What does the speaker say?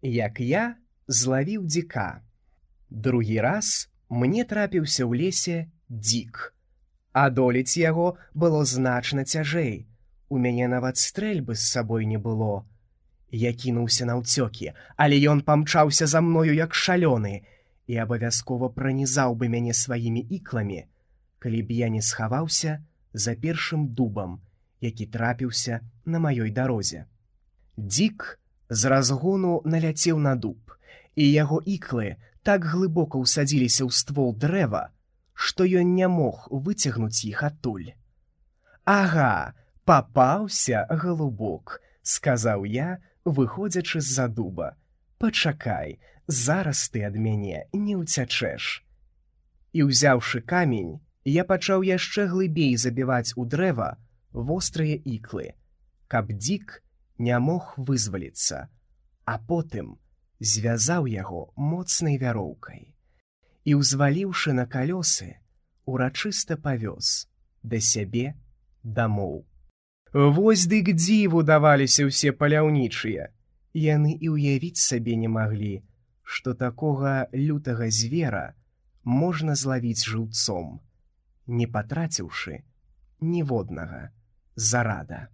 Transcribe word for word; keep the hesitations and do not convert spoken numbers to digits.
як я злавіў дзіка. Другі раз мне трапіўся ў лесе дзік. Адолець яго было значна цяжэй. У мяне нават стрэльбы з сабой не было. Я кінуўся наўцёкі, але ён памчаўся за мною як шалёны і абавязкова пранізаў бы мяне сваімі ікламі, калі б я не схаваўся за першым дубам, які трапіўся на маёй дарозе. Дзік з разгону наляцеў на дуб, і яго іклы так глыбока ўсадзіліся ў ствол дрэва, што ён не мог выцягнуць іх адтуль. «Ага, папаўся, галубок», — сказаў я, выходзячы з-за дуба. «Пачакай, зараз ты ад мяне не ўцячэш». І, узяўшы камень, я пачаў яшчэ глыбей забіваць у дрэва вострыя іклы, каб дзік не мог вызваліцца, а потым звязаў яго моцнай вяроўкай і, узваліўшы на калёсы, урачыста павёз да сябе дамоў. Вось дык дзіву даваліся ўсе паляўнічыя. Яны і ўявіць сабе не маглі, што такога лютага звера можна злавіць жыўцом, не патраціўшы ніводнага зарада.